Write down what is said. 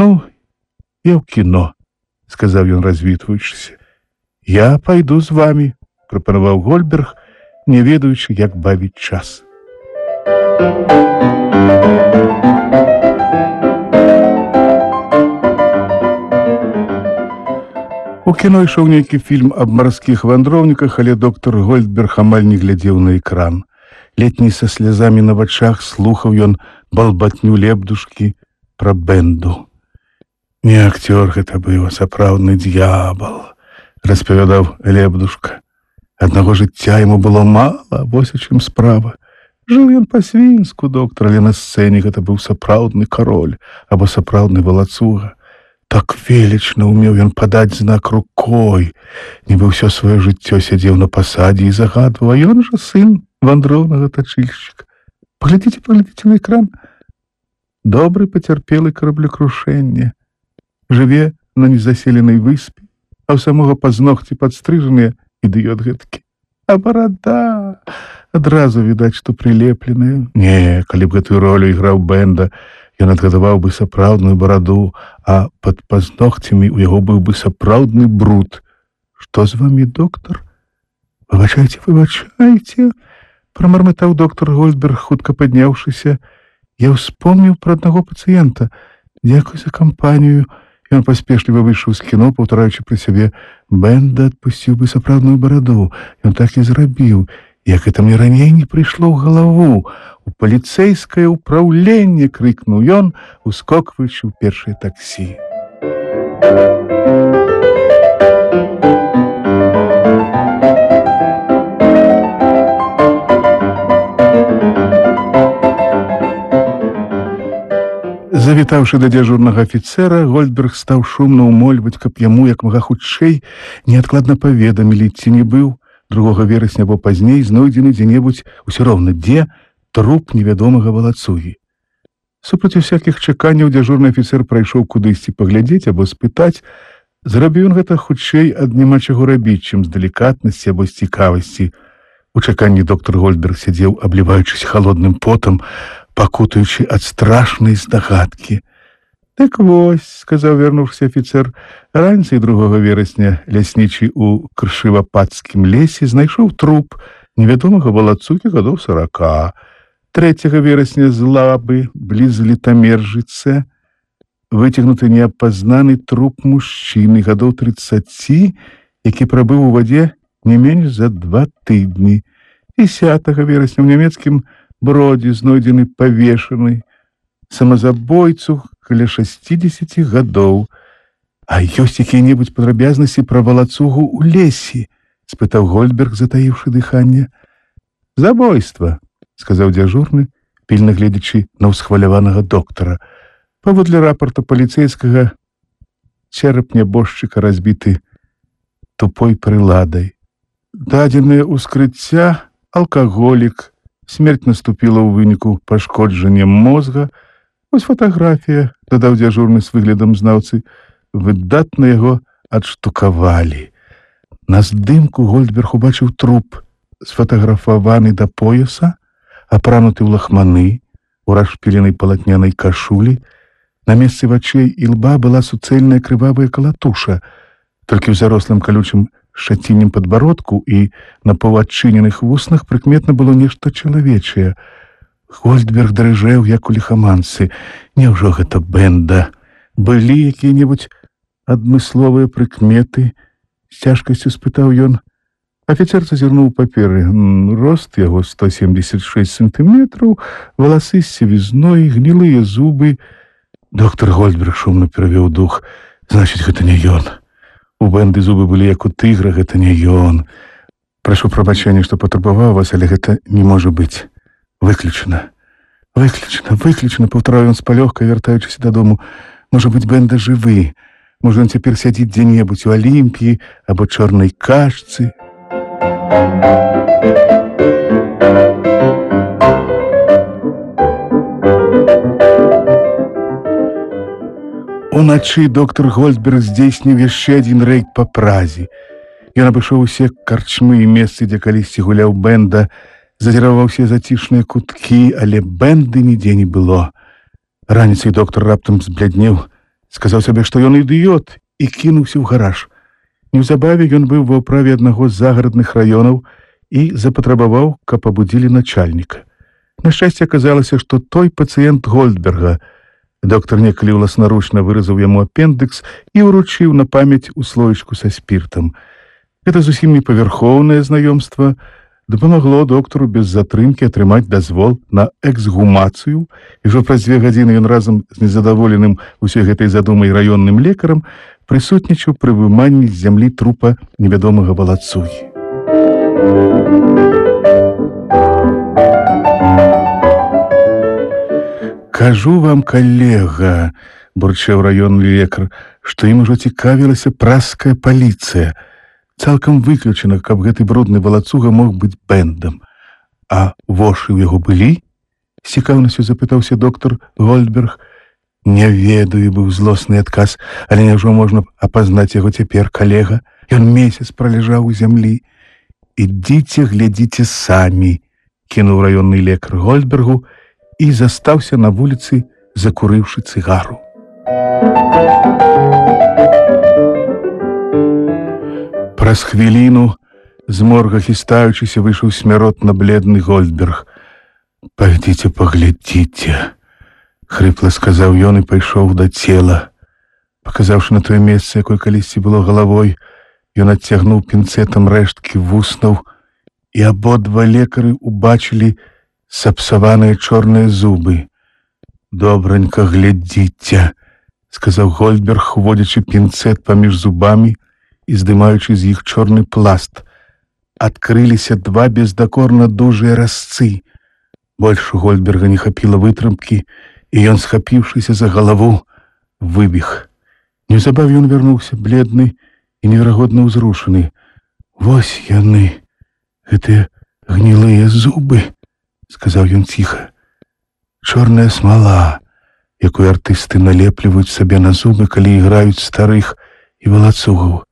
Ну, я ў кіно, сказаў ён, развітваючыся. Я пайду з вамі, прапанаваў Гольдберг, не ведаючы, як бавіць час. У кіно ішоў нейкі фільм аб марскіх вандроўніках, але доктар Гольдберг амаль не глядзеў на экран. Летні са слязамі на вачах слухаў ён балбатню Лебдушкі пра Бенду. Не акцёр гэта быў, а сапраўдны д'ябал, распавядаў Лебдушка. Аднаго жыцця яму было мала, вось у чым справа. Жыў ён па-свінску, доктар, але на сцэне гэта быў сапраўдны кароль або сапраўдны валацуга. Так велічна умеў ён падаць знак рукой, нібы ўсё сваё жыццё сядзеў на пасадзе і загадваў, а ён жа сын вандроўнага тачыльшчыка. Паглядзіце на экран. Добры пацярпелы караблекрушэнне. Жыве на незаселенай выспе, а ў самога пазногці падстрыжаныя ідыёт гэтакі. А барада адразу відаць, што прылепленая. Не, калі б гэтую ролю іграў Бенда, ён адгадаваў бы сапраўдную бараду, а пад пазногцямі ў яго быў бы сапраўдны бруд. Што з вамі, доктар? Выбачайце, прамармытаў доктар Гольдберг, хутка падняўшыся. Я ўспомніў пра аднаго пацыента. Дзякуй за кампанію. Ён паспешліва выйшаў з кіно, паўтараючы пры сябе: Бенда адпусціў бы сапраўдную бараду. Ён так і зрабіў. Як гэта мне раней не прыйшло ў галаву. У паліцэйскае ўпраўленне, крыкнуў ён, ускокваючы ў першае таксі. Завітаўшы да дзяжурнага афіцэра, Гольдберг стаў шумна ўмольваць, каб яму як мага хутчэй неадкладна паведамілі, ці не быў 2 верасня або пазней знойдзены дзе-небудзь, усё роўна дзе, труп невядомага валацугі. Супраць усякіх чаканняў дзяжурны афіцэр прайшоў кудысьці паглядзець або спытаць. Зрабіў ён гэта хутчэй ад няма чаго рабіць, чым з далікатнасці або з цікавасці. У чаканні доктар Гольдберг сядзеў, абліваючыся халодным потам, пакутаючы ад страшнай здагадкі. Так вось, сказаў вярнуўшыся афіцэр, раніцай 2 верасня ляснічы ў Кршывападскім лесе знайшоў труп невядомага валацугі гадоў 40. 3 верасня з лабы бліз Літамержыцы выцягнуты неапазнаны труп мужчыны гадоў 30, які прабыў у вадзе не менш за 2 тыдні. 10 верасня ў нямецкім Бродзе знойдзены павешаны самазабойцу каля 60 гадоў. А ёсць якія-небудзь падрабязнасці пра валацугу ў лесе? Спытаў Гольдберг, затаіўшы дыханне. Забойства, сказаў дзяжурны, пільна гледзячы на ўсхваляванага доктара. Паводле рапарта паліцэйскага, чэрап нябожчыка разбіты тупой прыладай. Дадзенае ўскрыцця алкаголік. Смерць наступіла ў выніку пашкоджання мозга. Вось фатаграфія, дадаў дзяжурны з выглядам знаўцы. Выдатна яго адштукавалі. На здымку Гольдберг убачыў труп, сфотаграфаваны да пояса, апрануты ў лахманы, у расшпіленай палатнянай кашулі. На месцы вачэй і лба была суцэльная крывавая калатуша. Толькі ў зарослым калючым шаціннем падбародку і на паўадчыненых вуснах прыкметна было нешта чалавечае. Гольдберг дрыжэў, як у ліхаманцы. Няўжо гэта Бенда? Былі якія-небудзь адмысловыя прыкметы? З цяжкасцю спытаў ён. Афіцэр зазірнуў паперы. Рост яго 176 сантыметраў, валасы з сівізной, гнілыя зубы. Доктар Гольдберг шумна перавёў дух. Значыць, гэта не ён. У Бенды зубы былі як у тыгра, гэта не ён. Прашу прабачэння, што патрабаваў вас, але гэта не можа быць. Выключана. Выключана, паўтараў ён з палёгкай, вяртаючыся дадому. Можа быць, Бенда жывы. Можа, ён цяпер сядзіць дзе-небудзь у Алімпіі або чорнай кашцы. Уначы доктар Гольдберг здзейсніў яшчэ адзін рэйд па Празе. Ён абышоў усе карчмы і месцы, дзе калісьці гуляў Бенда, зазіраў ва ўсе зацішныя куткі, але Бенды нідзе не было. Раніцай доктар раптам збляднеў, сказаў сабе, што ён ідыёт, і кінуўся ў гараж. Неўзабаве ён быў ва ўправе аднаго з загарадных раёнаў і запатрабаваў, каб абудзілі начальніка. На шчасце аказалася, што той пацыент Гольдберга. Доктар некалі ўласнаручна выразаў яму апендыкс і ўручыў на памяць у слоечку са спіртам. Гэта зусім не павярхоўнае знаёмства дапамагло доктару без затрымкі атрымаць дазвол на эксгумацыю, і ўжо праз 2 гадзіны ён разам з незадаволеным усёй гэтай задумай раённым лекарам прысутнічаў пры выманні з зямлі трупа невядомага валацугі. «Кажу вам, калега, — бурчаў раённы лекар, — што ім ужо цікавілася праская паліцыя. Цалкам выключана, каб гэты брудны валацуга мог быць бэндам. А вошы ў яго былі?» — з цікаўнасцю запытаўся доктар Гольдберг. «Не ведаю», — быў злосны адказ, — «але няўжо можна апазнаць яго цяпер, калега? Ён месяц праляжаў у зямлі». «Ідзіце, глядзіце самі», — кінуў раённы лекар Гольдбергу і застаўся на вуліцы, закурыўшы цыгару. Праз хвіліну, з морга хістаючыся, выйшаў смяротна бледны Гольдберг. «Пайдзіце, паглядзіце», — хрыпла сказаў ён і пайшоў да цела. Паказаўшы на тое месца, якое калісьці было галавой, ён адцягнуў пінцэтам рэшткі вуснаў, і абодва лекары убачылі сапсаваныя чорныя зубы. «Добранька глядзіце», — сказаў Гольдберг, уводзячы пінцэт паміж зубамі і здымаючы з іх чорны пласт. Адкрыліся 2 бездакорна дужыя разцы. Больш у Гольдберга не хапіла вытрымкі, і ён, схапіўшыся за галаву, выбег. Неўзабаве ён вярнуўся, бледны і неверагодна ўзрушаны. «Вось яны, гэтыя гнілыя зубы», — сказаў ён ціха. «Чорная смала, якую артысты налепліваюць сабе на зубы, калі іграюць старых і валацугаў.